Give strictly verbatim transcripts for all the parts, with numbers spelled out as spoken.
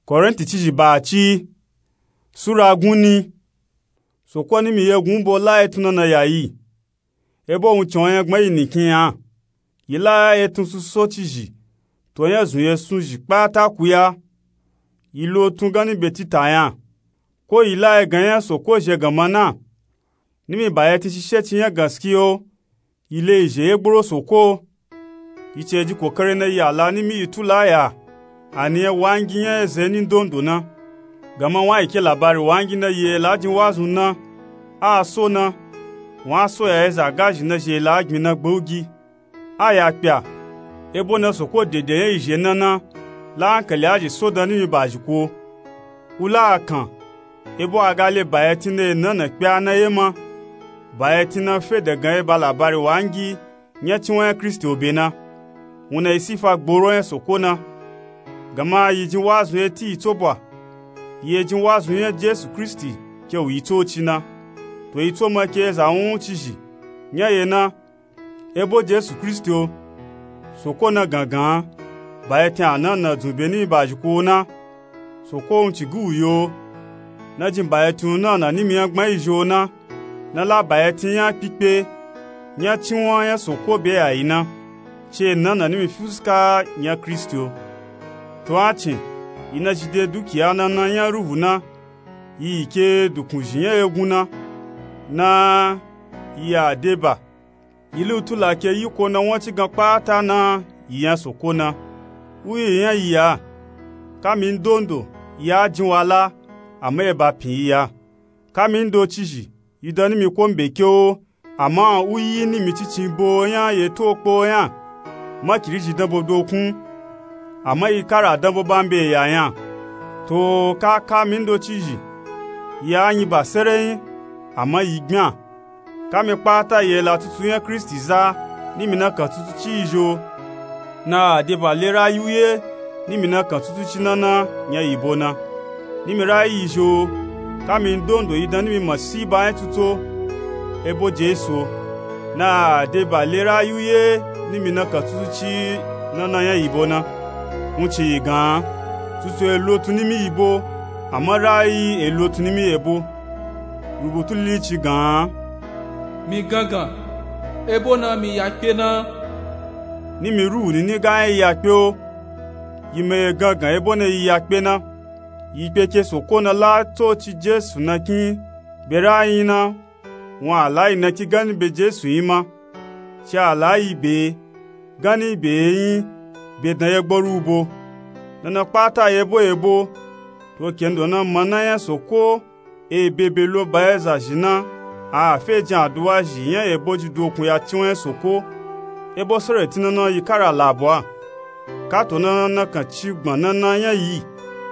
Korinti cizhi ba ci, sura gun ni. Soko ni mi yegun bo la etun nana ya yi. Ebo wun cin o yan gbọn yi nikin yan. Yi la etun suso cizhi to yan zun ye sun zhi kpata ku ya. Yi lo tun gan ni be tita yan. Ko yi la egan yan soko zhe gan ma na. Ni mi ba ye tin shishe ci yan gan ski o. Yi le yi zhe ye gboro soko. Yi ce ji kokare na yi ala ni mi yi tu la ya. A ni yan wangi yan eze ni ndondo na. Gan ma wan yi ke labari wangi na yi e la jin wazun na. A so na. Wan so ya eza gazhi na zhi e la gbin na gbaugi. A ya kpya. Ebo na soko dede yan yi zhe na na. La ankali a zhi so dan ni mi ba zhi ko. U la a kan. Ebo a ga le ba ye tin na ye na na kpya na ye ma. Ba ye tin na fe dagan ye ba labari wangi. Yan cinwan yan Kristi o be na. Wun na yi sifa gboro yan soko na. Gan ma yi jin wazun ye ti yi tso bwa. Yi ye jin wazun yan Jesu Kristi ke wu yi tso ci na. To yi tso ma ke eza wun cizhi. Yan ye na. Ebo Jesu Kristi o. Soko na gangan. Ba ye tin a na na dzun be ni mi ba zhi ko o na. Soko wun ci gu wu yo. Na jin ba ye tin wun na na ni mi yan gbọn yi zhi o na. Na la ba ye tin yan kpikpe. Yan cinwan yan soko be ya yi na. Ci e na na ni mi fuska yan Kristi o. To a cin. Yi na zhi de dukiya na na yan ruhu na. Yi yi ke dukun zhi yan egun na. Na yi ya de ba. Yi lu tu la ke yi ko na wan ci gan kpata na. Yi yan soko na. U yi yan yi ya. Ka mi ndondo. Yi a jin wa la. Ama e ba pin yi ya. Ka mi ndo cizhi. Yi dan ni mi ko mbe ke o. Ama u yi ni mi cicin bo yan ye to kpo yan. Ma kiri zhi dan bo dokun. Ama yi kara dan bo ba mbe ya yan. To ka ka mi ndo cizhi. Yi a nyi ba sere yin. Ama yi gbin a. Ka mi kpata yi e la tutu yan Kristi za, ni mi na kan tutu ci yi zhi o. Na a de ba le rayi u ye, ni mi na kan tutu ci na na yan yi bo na. Ni mi rayi yi zhi o. Ka mi ndondo yi dan ni mi masiba yan tutu o. Ebo Jesu o. Na a de ba le rayi u ye, ni mi na kan tutu ci na na yan yi bo na. Wun ci yi gan. Tutu e lo tun ni mi yi bo. Ama rayi e lo tun ni mi ye bo. Rubutu lili ci gan. Mi gangan, ebo na mi ya kpe na. Ni mi ruhu nini ga yan yi ya kpe o. Yi ma ye gangan ebo na yi ya kpe na. Yi kpe ke soko na la tso ci Jesu na kin. Be rayi yin na. Wun a la yi na kin gan ni be Jesu yin ma. Ci a la yi be. Gan ni be yin. Be dan ye gboru u bo. Na na kpata ye bo ye bo. To ke ndo na ma na yan soko. E bebe lo ba ye za zhi na. A fe jin aduwa zhi yan ebo ji dokun ya cinwan yan soko. Ebo sere ti na na yi kara la bo a. Ka to na na na kan ci gbọn na na yan yi.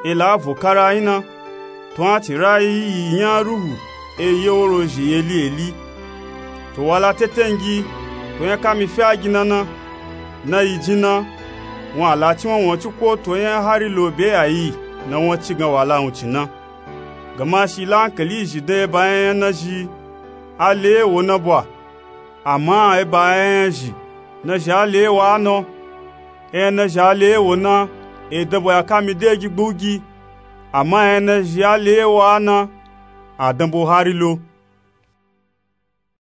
E la vo kara yin na. To a ti rayi yi yan ruhu. E ye woro zhi eli eli. To wa la tete ngi. To yan ka mi fe a gi na na. Na yi jin na. Wun a la cinwan wun ci ko to yan hari lo be ya yi. Na wun ci gan wa la wun ci na. Gama shi la ankali zhi dan e ba yan yan na zhi a le ye wo na bwa. Ama e ba yan yan zhi na zhi a le ye wo a na. Yan yan na zhi a le ye wo na. E dan bo ya ka mi de gi gbugi. Ama yan yan na zhi a le ye wo a na. A dan bo hari lo.